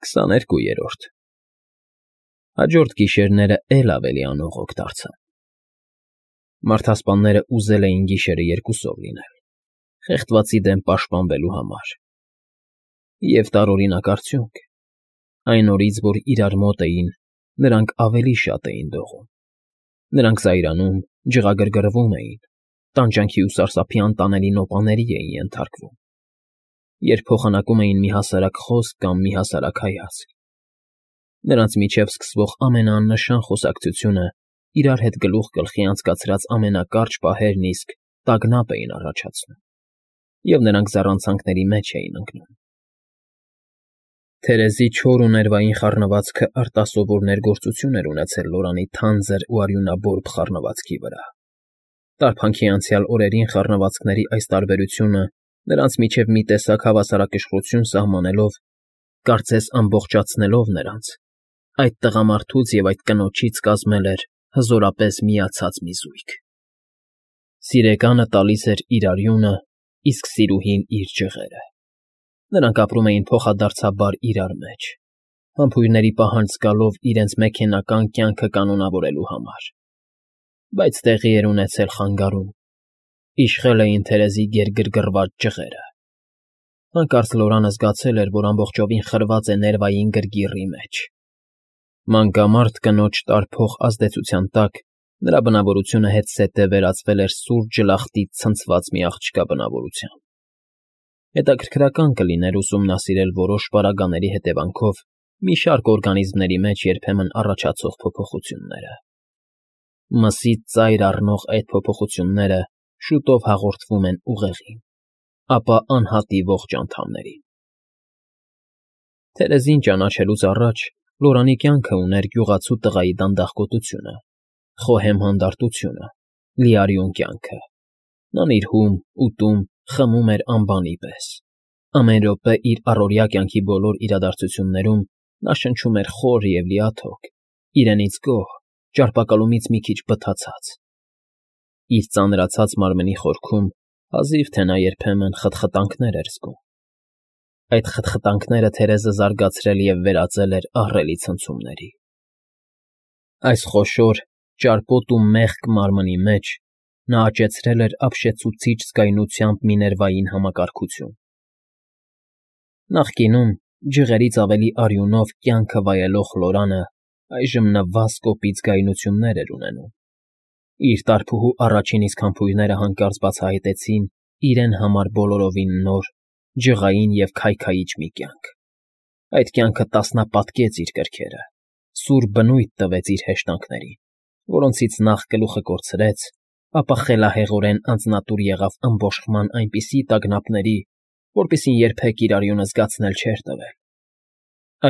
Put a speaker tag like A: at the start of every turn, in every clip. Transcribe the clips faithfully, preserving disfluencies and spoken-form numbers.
A: Քսաներկուերորդ Հաջորդ գիշերները էլ ավելի անողոք դարձան։ Մարդասպանները ուզել էին գիշերը երկուսով լինել, խեղդվածի դեմ պաշտպանվելու համար։ Եվ տարօրինակ արդյունք. այն օրից, որ իրար մոտ էին, նրանք ավելի շատ էին դողում։ Նրանք զայրանում, ջղագրգռվում էին, տանջանքի ու սարսափի անտանելի նոպաների էին ենթարկվում, երբ փոխանակում էին մի հասարակ խոսք կամ մի հասարակ հայացք։ Նրանց միջև սկսվող ամենաաննշան խոսակցությունը իրար հետ գլուխ գլխի անցկացրած ամենակարճ պահերն իսկ տագնապ էին առաջացնում, և նրանք զառանցանքների մեջ էին ընկնում։ Թերեզի չոր ու ներվային խառնվածքը արտասովոր ներգործություն էր ունեցել Լորանի թանձր ու արյունաբորբ խառնվածքի վրա։ Տարփանքի անցյալ օրերին խառնվածքների այս տարբերությունը նրանց միջև մի տեսակ հավասարակշռություն սահմանելով, կարծես ամբողջացնելով նրանց, այդ տղամարդուց և այդ կնոջից կազմել էր հզորապես միացած մի զույգ։ Սիրեկանը տալիս էր իր արյունը, իսկ սիրուհին՝ իր ջղերը։ Նրանք ապրում էին փոխադարձաբար իրար մեջ, համբույրների պահանջ զգալով իրենց մեքենական կյանքը կանոնավորելու համար։ Բայց տեղի էր ունեցել խանգարում, իշխել էին Թերեզի գերգռգռված ջղերը։ Հանկարծ Լորանը զգացել էր, որ ամբողջովին խրված է ներվային գրգիռի մեջ։ Մանկամարդ կնոջ տարփող ազդեցության տակ նրա բնավորությունը հետզհետե վերածվել էր սուր ջլախտից ցնցված մի աղջկա բնավորության։ Հետաքրքրական կլիներ ուսումնասիրել որոշ պարագաների հետևանքով մի շարք օրգանիզմների մեջ երբեմն առաջացող փոփոխությունները։ Մսից ծայր առնող այդ փոփոխությունները շուտով հաղորդվում են ուղեղին, ապա անհատի ողջ անդամներին։ Թերեզին ճանաչելուց առաջ Լորանի կյանքը ուներ գյուղացու տղայի դանդաղկոտությունը, խոհեմ հանդարտությունը, լիարյուն կյանքը։ Նա նիրհում, ուտում, խմում էր անբանի պես։ Ամեն րոպե իր առօրյա կյանքի բոլոր իրադարձություններում նա շնչում էր խոր և լիաթոք, իրենից գոհ, ճարպակալումից մի քիչ բթացած։ Իր ծանրացած մարմնի խորքում հազիվ թե նա երբեմն խտխտանքներ էր զգում։ Այդ խտխտանքները Թերեզը զարգացրել և վերածել էր ահռելի ցնցումների։ Այս խոշոր, ճարպոտ ու մեղք մարմնի մեջ նա աճեցրել էր ապշեցուցիչ զգայունությամբ մի ներվային համակարգություն։ Նախկինում ջղերից ավելի արյունով կյանքը վայելող Լորանը այժմ նվազ կոպիտ զգայունություններ էր ունենում։ Իր տարփուհու առաջին իսկ համբույրները հանկարծ բացահայտեցին իրեն համար բոլորովին նոր, ջղային և քայքայիչ մի կյանք։ Այդ կյանքը տասնապատկեց իր կրքերը, սուր բնույթ տվեց իր հեշտանքներին, որոնցից նախ գլուխը կորցրեց, ապա խելահեղորեն անձնատուր եղավ ըմբոշխման այնպիսի տագնապների, որպիսին երբեք իր արյունը զգացնել չէր տվել։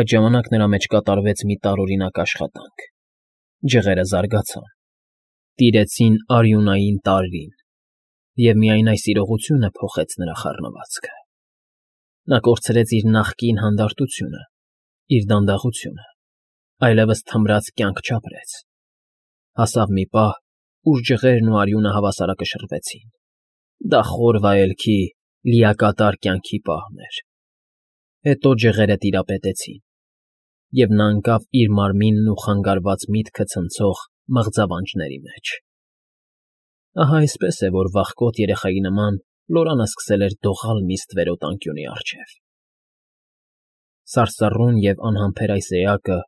A: Այդ ժամանակ նրա մեջ կատարվեց մի տարօրինակ աշխատանք։ Ջղերը զարգացան, տիրեցին արյունային տարրին, և միայն այս իրողությունը փոխեց նրա խառնվածքը։ Նա կորցրեց իր նախկին հանդարտությունը, իր դանդաղությունը, այլևս թմրած կյանք չապրեց։ Հասավ մի պահ, ուր ջղերն ու արյունը հավասարակշռվեցին։ Դա խոր վայելքի, լիակատար կյանքի պահն էր։ Հետո ջղերը տիրապետեցին, և նա ընկավ իր մարմինն ու խանգարված միտքը ցնցող մղձավանջների մեջ։ Ահա այսպես է, որ վախկոտ երեխայի նման Լորանը սկսել էր դողալ մի ստվերոտ անկյունի առջև։ Սարսռուն և անհամբեր այս էակը,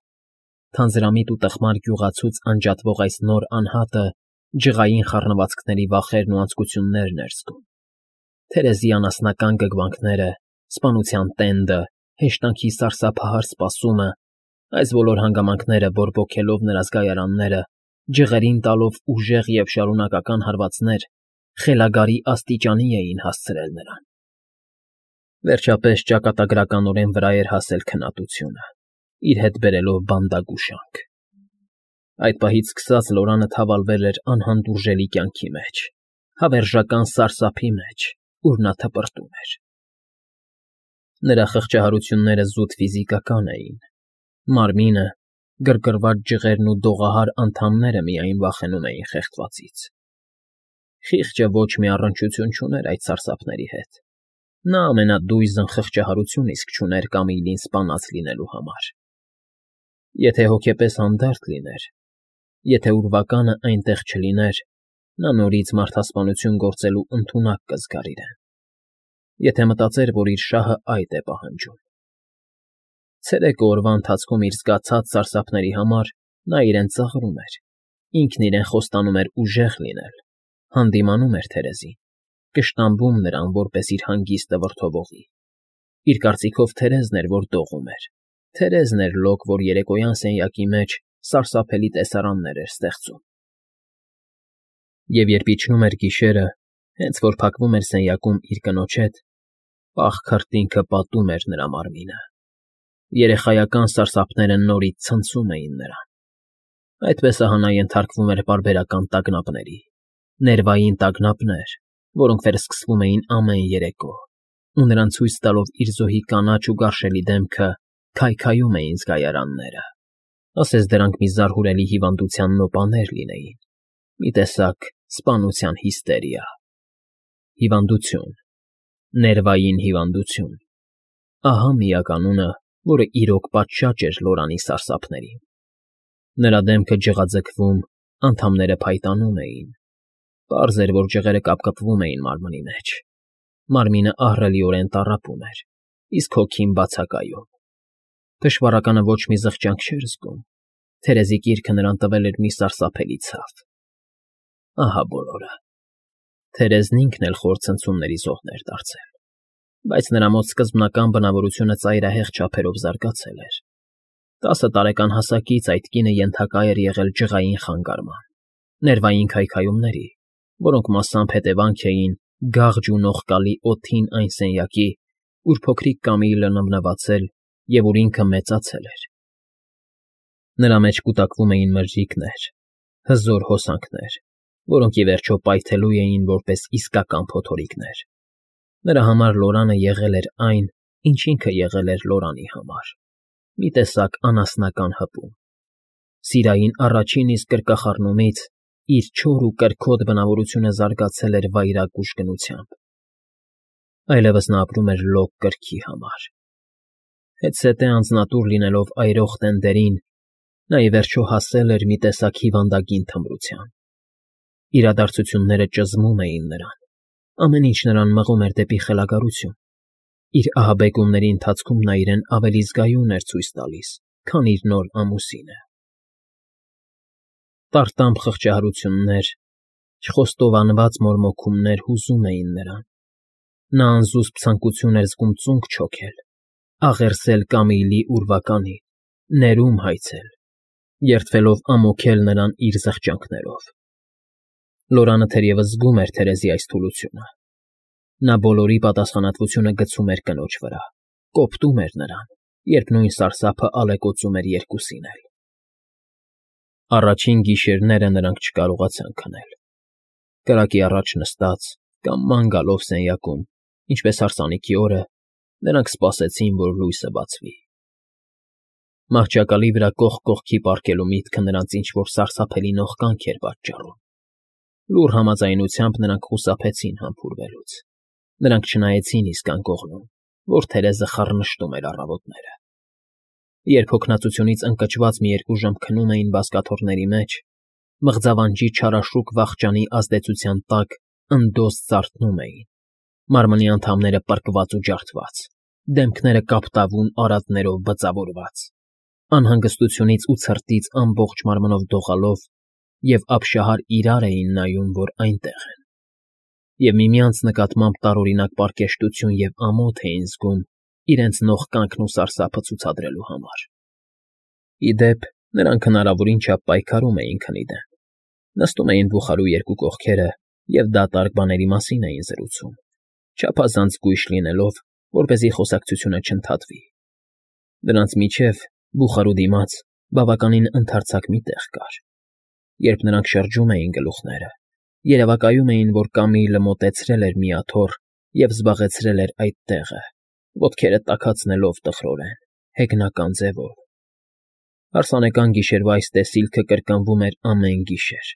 A: թանձրամիտ ու տխմար գյուղացուց անջատվող այս նոր անհատը ջղային խառնվածքների վախերն ու անձկություններն էր զգում։ Թերեզի անասնական գգվանքները, սպանության տենդը, հեշտանքի սարսափահար սպասումը, այս բոլոր հանգամանքները բորբոքելով նրա զգայարանները, ջղերին տալով ուժեղ և շարունակական հարվածներ, խելագարի աստիճանի էին հասցրել նրան։ Վերջապես ճակատագրականորեն վրա էր հասել քնատությունը, իր հետ բերելով բանդագուշանք։ Այդ պահից սկսած Լորանը թավալվել էր անհանդուրժելի կյանքի մեջ, հավերժական սարսափի մեջ, ուր նա թպրտում էր։ Նրա խղճահարությունները զուտ ֆիզիկական էին։ Մարմինը, գրգռված ջղերն ու դողահար անդամները միայն վախենում էին խեղդվածից։ Խիղճը ոչ մի առնչություն չուներ այդ սարսափների հետ, Նա ամենադույզն խղճահարություն իսկ չուներ Կամիլին սպանած լինելու համար։ Եթե հոգեպես հանդարտ լիներ, եթե ուրվականը այնտեղ չլիներ, նա նորից մարդասպանություն գործելու ընդունակ կզգար իրեն, եթե մտածեր, որ իր շահը այդ է պահանջում։ Ցերեկը օրվա ընթացքում իր զգացած սարսափների համար նա իրեն ծաղրում էր, ինքն իրեն խոստանում էր ուժեղ լինել, հանդիմանում էր Թերեզին, կշտամբում նրան որպես իր հանգիստը վրդովողի։ Իր կարծիքով Թերեզն էր, որ դողում էր, Թերեզն էր լոկ, որ երեկոյան սենյակի մեջ սարսափելի տեսարաններ էր ստեղծում։ Եվ երբ իջնում էր գիշերը, հենց որ փակվում էր սենյակում իր կնոջ հետ, պաղ քրտինքը պատում էր նրա մարմինը։ Երեխայական սարսափները նորից ցնցում էին նրան։ Այդպես ահա նա ենթարկվում էր պարբերական տագնապների, ներվային տագնապներ, որոնք վերսկսվում էին ամեն երեկո, ու նրան ցույց տալով իր զոհի կանաչ ու գարշելի դեմքը, քայքայում էին զգայարանները, ասես դրանք մի զարհուրելի հիվանդության նոպաներ լինեին, մի տեսակ սպանության հիստերիա։ Հիվանդություն, ներվային հիվանդություն, ահա միականունը, որը իրոք պատշաճ էր Լորանի սարսափներին։ Նրա դեմքը ջղաձգվում, անդամները փայտանում էին։ Պարզ էր, որ ջղերը կապկպվում էին մարմնի մեջ։ Մարմինը ահռելիորեն տառապում էր, իսկ հոգին բացակայում։ Թշվառականը ոչ մի զղջանք չէր զգում։ Թերեզի կիրքը նրան տվել էր մի սարսափելի ցավ։ Ահա բոլորը։ Թերեզն ինքն էլ խոր ցնցումների զոհն էր դարձել, բայց նրա մոտ սկզբնական բնավորությունը ծայրահեղ չափերով զարգացել էր։ Տասը տարեկան հասակից այդ կինը ենթակա էր եղել ջղային խանգարման, ներվային քայքայումների, որոնք մասամբ հետևանք էին գաղջ ու նողկալի օդին այն սենյակի, ուր փոքրիկ Կամիլը նվնվացել և ուր ինքը մեծացել էր։ Նրա մեջ կուտակվում էին մրրիկներ, հզոր հոսանքներ, որոնք ի վերջո պայթելու էին որպես իսկական փոթորիկներ։ Նրա համար Լորանը եղել էր այն, ինչ ինքը եղել էր Լորանի համար, մի տեսակ անասնական հպում։ Սիրային առաջին իսկ կրկախառնումից իր չոր ու կրքոտ բնավորությունը զարգացել էր վայրագ ուժգնությամբ։ Այլևս նա ապրում էր լոկ կրքի համար։ Հետզհետե անձնատուր լինելով այրող տենդերին, նա ի վերջո հասել էր մի տեսակ հիվանդագին թմրության։ Իրադարձությունները ճզմում էին նրան, ամեն ինչ նրան մղում էր դեպի խելագարություն։ Իր ահաբեկումների ընթացքում նա իրեն ավելի զգայուն էր ցույց տալիս, քան իր նոր ամուսինը։ Տարտամփ խղճահարություններ, չխոստովանված մորմոքումներ հուզում էին նրան։ Նա անզուսպ ցանկություն էր զգում ծունկ չոքել, աղերսել Կամիլի ուրվականին, ներում հայցել, երդվելով ամոքել նրան իր զղջանքներով։ Լորանը թերևս զգում էր Թերեզի այս թուլությունը։ Նա բոլորի պատասխանատվությունը գցում էր կնոջ վրա, կոպտում էր նրան, երբ նույն սարսափը ալեկոծում էր երկուսին էլ։ Առաջին գիշերները նրանք չկարողացան քնել։ Կրակի առաջ նստած կամ ման գալով սենյակում, ինչպես հարսանիքի օրը, նրանք սպասեցին, որ լույսը բացվի։ Մահճակալի վրա կողք կողքի պառկելու միտքը նրանց ինչ-որ սարսափելի նողկանք էր պատճառում։ Լուռ համաձայնությամբ նրանք խուսափեցին համբուրվելուց։ Նրանք չնայեցին իսկ անկողնում, որ Թերեզը խառնշտում էր առավոտները։ Երբ հոգնածությունից ընկճված մի երկու ժամ քնում էին բազկաթոռների մեջ, մղձավանջի չարաշուկ վախճանի ազդեցության տակ ընդոս ծարթնում էին, մարմնի անդամները պրկված ու ջարդված, դեմքները կապտավուն արատներով բծավորված, անհանգստությունից ու ցրտից ամբողջ մարմնով դողալով և ապշահար իրար էին նայում, որ այնտեղ են, և միմյանց նկատմամբ տարօրինակ պարկեշտություն և ամոթ էին զգում իրենց նողկանքն ու սարսափը ցուցադրելու համար։ Ի դեպ, նրանք հնարավորին չափ պայքարում էին քնի դեմ, նստում էին բուխարու երկու կողքերը և դատարկ բաների մասին էին զրուցում, չափազանց զգույշ լինելով, որպեսզի խոսակցությունը չընդհատվի։ Նրանց միջև, բուխարու դիմաց, բավականին ընդարձակ մի տեղ կար։ Երբ նրանք շրջում էին գլուխները, երևակայում էին, որ Կամիլը մոտեցրել էր մի աթոռ և զբաղեցրել էր այդ տեղը, ոտքերը տաքացնելով տխրորեն, հեգնական ձևով։ Հարսանեկան գիշերվա այս տեսիլքը կրկնվում էր ամեն գիշեր։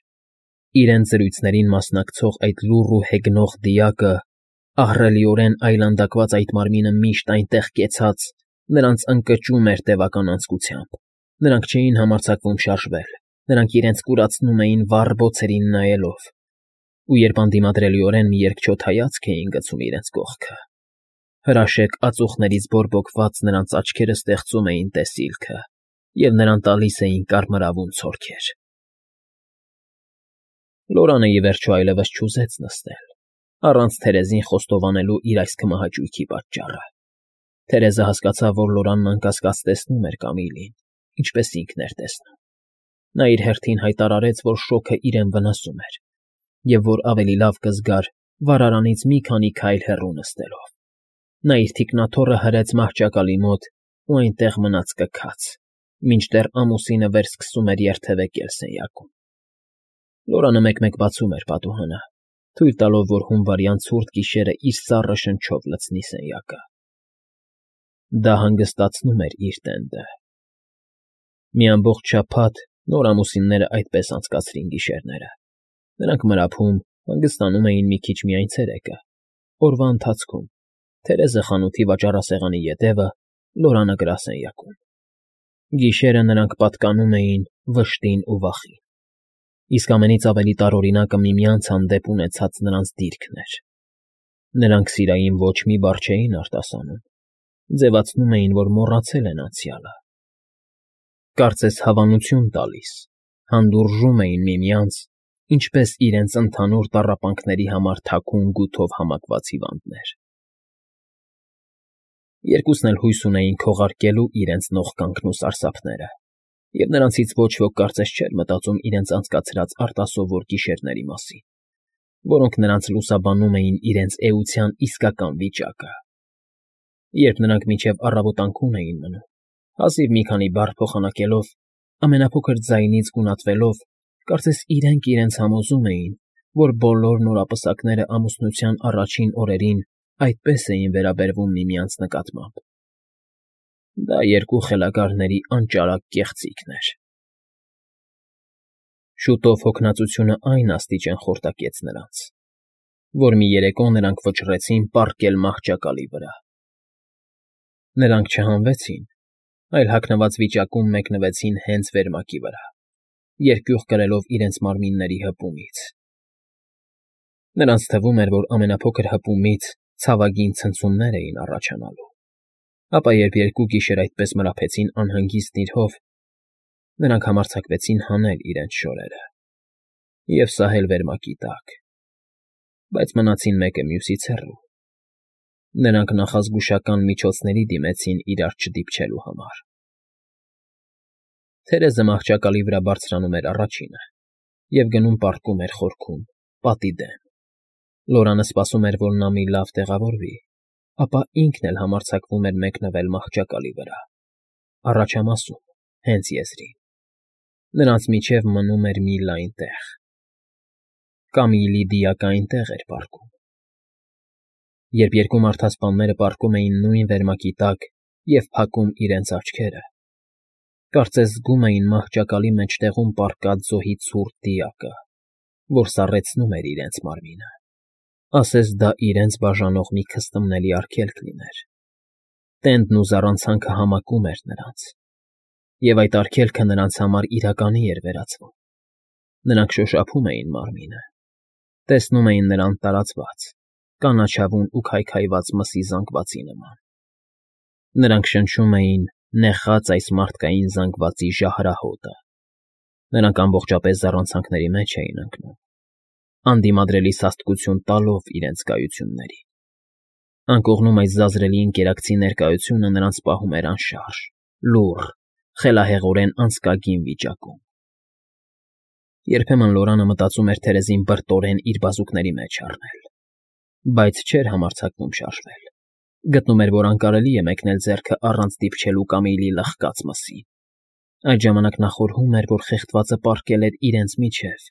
A: Իրենց զրույցներին մասնակցող այդ լուռ ու հեգնող դիակը Ահռելիորեն այլանդակված այդ մարմինը միշտ այնտեղ կեցած նրանց ընկճում էր տևական անձկությամբ, նրանք չէին համարձակվում շարժվել, նրանք իրենց կուրացնում էին վառ բոցերին նայելով, ու երբ անդիմադրելիորեն մի երկչոտ հայացք էին գցում իրենց կողքը, հրաշեկ ածուխներից բորբոքված նրանց աչքերը ստեղծում էին տեսիլքը և նրան տալիս էին կարմրավուն ցորքեր։ Լորանը ի վերջո այլևս չուզեց նստել, առանց Թերեզին խոստովանելու իր այս քմահաճույքի պատճառը։ Թերեզը հասկացավ, որ Լորանն անկասկած տեսնում էր Կամիլին, ինչպես ինքն էր տեսնում։ Նա իր հերթին հայտարարեց, որ շոգը իրեն վնասում էր, և որ ավելի լավ կզգար վառարանից մի քանի քայլ հեռու նստելով։ Նա իր թիկնաթոռը հրեց մահճակալի մոտ ու այնտեղ մնաց կքած, մինչդեռ ամուսինը վերսկսում էր երթևեկել սենյակում։ Լորանը մեկ-մեկ բացում էր պատուհանը, թույլ տալով, որ հունվարյան ցուրտ գիշերը իր սառը շնչով լցնի սենյակը։ Դա հանգստացնում էր իր տենդը։ Մի ամբողջ շաբաթ նոր ամուսինները այդպես անցկացրին գիշերները։ Նրանք մրափում, հանգստանում էին մի քիչ միայն ցերեկը, օրվա ընթացքում, Թերեզը խանութի վաճառասեղանի ետևը, Լորանը գրասենյակում։ Գիշերը նրանք պատկանում էին վշտին ու վախին։ Իսկ ամենից ավելի տարօրինակը միմյանց հանդեպ ունեցած նրանց դիրքն էր։ Նրանք սիրային ոչ մի բառ չէին արտասանում, ձևացնում էին, որ մոռացել են անցյալը։ Կարծես հավանություն տալիս, հանդուրժում էին միմյանց, ինչպես իրենց ընդհանուր տառապանքների համար թաքուն գութով համակված հիվանդներ։ Երկուսն էլ հույս ունեին քողարկելու իրենց նողկանքն ու սարսափները, և նրանցից ոչ ոք կարծես չէր մտածում իրենց անցկացրած արտասովոր գիշերների մասին, որոնք նրանց լուսաբանում էին իրենց էության իսկական վիճակը։ Երբ նրանք մինչև առավոտանքուն էին մնում, հազիվ մի քանի բառ փոխանակելով, ամենափոքր ձայնից գունատվելով, կարծես իրենք իրենց համոզում էին, որ բոլոր նորապսակները ամուսնության առաջին օրերին այդպես էին վերաբերվում միմյանց նկատմամբ։ Դա երկու խելագարների անճարակ կեղծիքն էր։ Շուտով հոգնածությունը այն աստիճան խորտակեց նրանց, որ մի երեկո նրանք վճռեցին պառկել մահճակալի վրա։ Նրանք չհանվեցին, այլ հագնված վիճակում մեկնվեցին հենց վերմակի վրա, երկյուղ կրելով իրենց մարմինների հպումից։ Նրանց թվում էր, որ ամենափոքր հպումից ցավագին ցնցումներ էին առաջանալու, ապա երբ երկու գիշեր այդպես մրափեցին անհանգիստ իրհով, նրանք համարձակվեցին հանել իրենց շորերը և սահել վերմակի տակ, բայց մնացին մեկը մյուսից հեռու։ Նրանք նախազգուշական միջոցների դիմեցին իրար չդիպչելու համար։ Թերեզը մահճակալի վրա բարձրանում էր առաջինը և գնում պառկում էր խորքում, պատի դեմ։ Լորանը սպասում էր, որ նա մի լավ տեղավորվի, ապա ինքն էլ համարձակվում էր մեկնվել մահճակալի վրա, առաջամասում, հենց եզրին։ Նրանց միջև մնում էր մի լայն տեղ։ Կամիլի դիակը այնտեղ էր պառկում։ Երբ երկու մարդասպանները պառկում էին նույն վերմակի տակ և փակում իրենց աչքերը, կարծես զգում էին մահճակալի մեջտեղում պառկած զոհի ցուրտ դիակը, որ սառեցնում էր իրենց մարմինը, ասես դա իրենց բաժանող մի քստմնելի արգելք լիներ։ Տենդն ու զառանցանքը համակում էր նրանց, և այդ արգելքը նրանց համար իրականի էր վերածվում։ Նրանք շոշափում էին մարմինը, տեսնում էին նրան տարածված, կանաչավուն ու քայքայված մսի զանգվածի նման։ Նրանք շնչում էին նեխած այս մարդկային զանգվածի ժահրահոտը։ Նրանք ամբողջապես զառանցանքների մեջ էին ընկնում, անդիմադրելի սաստկություն տալով իրենց կայություններին։ Անկողնում այս զազրելի ընկերակցի ներկայությունը նրանց պահում էր անշարժ, լուռ, խելահեղորեն անցկագին վիճակում։ Երբեմն Լորանը մտածում էր Թերեզին բրտորեն իր բազուկների մեջ առնել, բայց չէր համարձակվում շարժվել։ Գտնում էր, որ անկարելի է մեկնել ձեռքը առանց դիպչելու Կամիլի լխկած մսին։ Այդ ժամանակ նա խորհում էր, որ խեղդվածը պառկել էր իրենց միջև,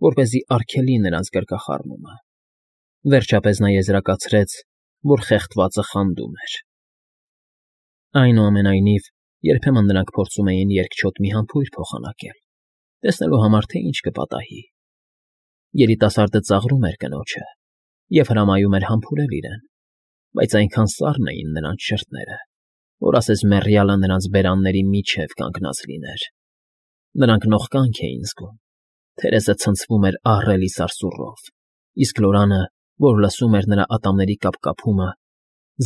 A: որպեսզի արգելի նրանց գրկախառնումը։ Վերջապես նա եզրակացրեց, որ խեղդվածը խանդում էր։ Այնուամենայնիվ, երբեմն նրանք փորձում էին երկչոտ մի համբույր փոխանակել, տեսնելու համար, թե ինչ կպատահի։ Երիտասարդը ծաղրում էր կնոջը, և հրամայում էր համբուրել իրեն, բայց այնքան սառն էին նրանց շրթները, որ ասես մեռյալը նրանց բերանների միջև կանգնած լիներ. նրանք նողկանք էին զգում, թերեսը ցնցվում էր ահռելի սարսուռով, իսկ Լորանը, որ լսում էր նրա ատամների կապկապումը,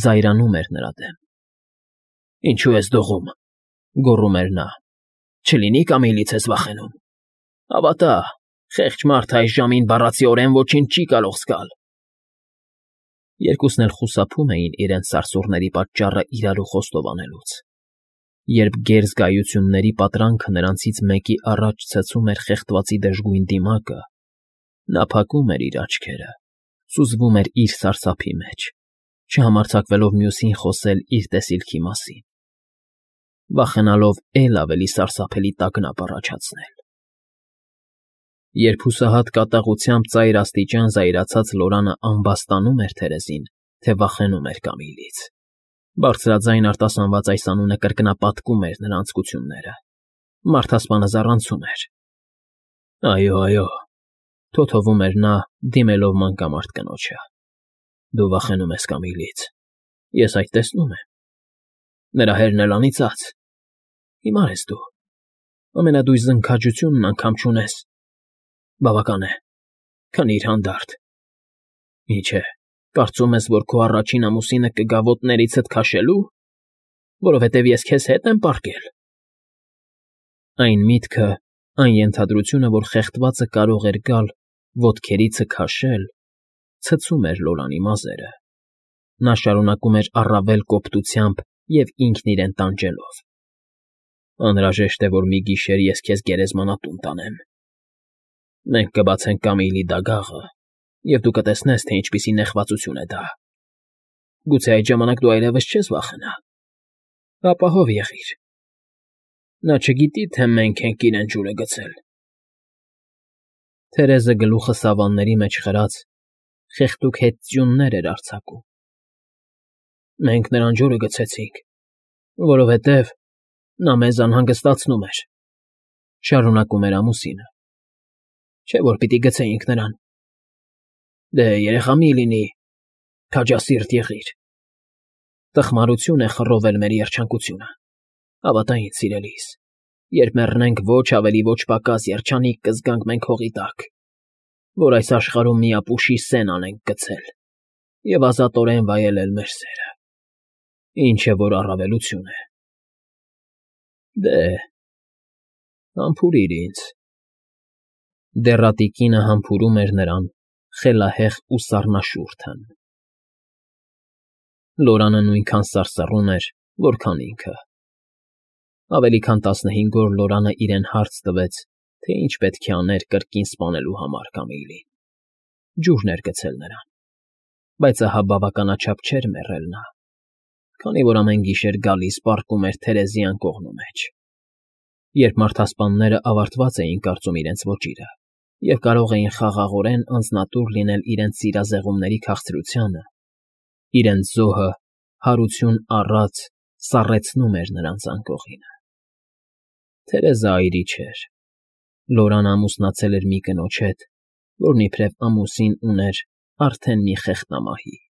A: զայրանում էր նրա դեմ։ ֊ Ինչո՞ւ ես դողում,֊ գոռում էր նա,֊ չլինի՞ Կամիլից ես վախենում… Հավատա, խեղճ մարդը այս ժամին բառացիորեն ոչինչ չի կարող զգալ… Երկուսն էլ խուսափում էին իրենց սարսուռների պատճառը իրարու խոստովանելուց, երբ գեր զգայությունների պատրանքը նրանցից մեկի առաջ ցցում էր խեղդվածի դժգույն դիմակը, նա փակում էր իր աչքերը, սուզվում էր իր սարսափի մեջ, չհամարձակվելով մյուսին խոսել իր տեսիլքի մասին, վախենալով էլ ավելի սարսափելի տագնապ առաջացնել… Երբ հուսահատ կատաղությամբ ծայր աստիճան զայրացած Լորանը ամբաստանում էր թերեզին, թե վախենում էր Կամիլից, բարձրաձայն արտասանված այս անունը կրկնապատկում էր նրա անձկությունները, մարդասպանը զառանցում էր։ ֊ Այո, այո,֊ թոթովում էր նա, դիմելով մանկամարտ կնոջը,֊ դու վախենում ես Կամիլից, ես այդ տեսնում եմ… Նրա հերն էլ անիծած… Հիմար ես դու, ամենադույզն քաջությունն անգամ չունես… Բավական է, քնի՛ր հանդարտ… Ինչ է, կարծում ես, որ քո առաջին ամուսինը կգա ոտներիցդ քաշելու… Որովհետև ես քեզ հետ եմ պառկել… Այն միտքը, այն ենթադրությունը, որ խեղդվածը կարող էր գալ, ոտքերիցը քաշել, ցցում էր Լորանի մազերը… Նա շարունակում էր առավել կոպտությամբ և ինքն իրեն տանջելով. Անհրաժեշտ է, որ մի գիշեր ես քեզ գերեզմանատուն տանեմ… Մենք կբացենք Կամիլի դագաղը, և դու կտեսնես, թե ինչպիսի նեղվածություն է դա… Գուցե այդ ժամանակ դու այլևս չես վախենա… Ապահով եղիր… Նա չգիտի, թե մենք ենք իրեն ջուրը գցել… Թերեզը գլուխը սավանների մեջ խրած, խեղդուկ հետ ձյուններ էր արձակում։ ֊ Մենք նրան ջուրը գցեցինք, որովհետև նա մեզ անհանգստացնում էր,֊ շարունակում էր ամուսինը,֊ չէ՞ որ պիտի գցեինք նրան… Դե, երեխա մի՛ լինի, քաջասիրտ եղիր… Տխմարություն է խռովել մեր երջանկությունը… Հավատա ինձ, սիրելիս, երբ մեռնենք, ոչ ավելի ոչ պակաս երջանիկ կզգանք մենք հողի տակ, որ այս աշխարհում միապուշի սեն անենք գցել և ազատորեն վայելել մեր սերը… Ինչ է որ առավելություն է… Դե, համբուրիր ինձ… Դեռատի կինը համբուրում էր նրան, խելահեղ ու սառնաշուրթն… Լորանը նույնքան սարսռում էր, որքան ինքը… Ավելի քան տասնհինգ օր Լորանը իրեն հարց տվեց, թե ինչ պետք է աներ կրկին սպանելու համար Կամիլին… Ջուրն էր գցել նրան… Բայց ահա բավականաչափ չէր մեռել նա, քանի որ ամեն գիշեր գալիս պառկում էր թերեզի անկողնու մեջ… Երբ մարդասպանները ավարտված էին կարծում իրենց ոճիրը և կարող էին խաղաղորեն անձնատուր լինել իրենց սիրազեղումների քաղցրությանը, իրենց զոհը հարություն առած սառեցնում էր նրանց անկողինը… Թերեզը այրի չէր… Լորան ամուսնացել էր մի կնոջ հետ, որն իբրև ամուսին ուներ արդեն մի խեղտամահի…